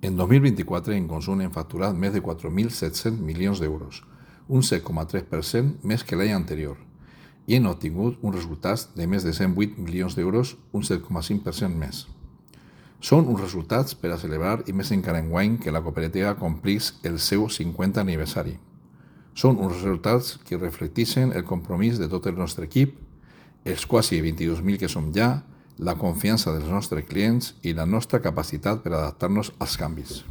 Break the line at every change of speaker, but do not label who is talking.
En 2024, en consum hem facturat més de 4.700 milions d'euros, un 7,3% més que l'any anterior, i hem obtingut uns resultats de més de 108 milions d'euros, un 7,5% més. Són uns resultats per a celebrar i més encara enguany que la cooperativa complís el seu 50 aniversari. Són uns resultats que reflecteixen el compromís de tot el nostre equip, els quasi 22.000 que som ja, la confiança dels nostres clients i la nostra capacitat per adaptar-nos als canvis.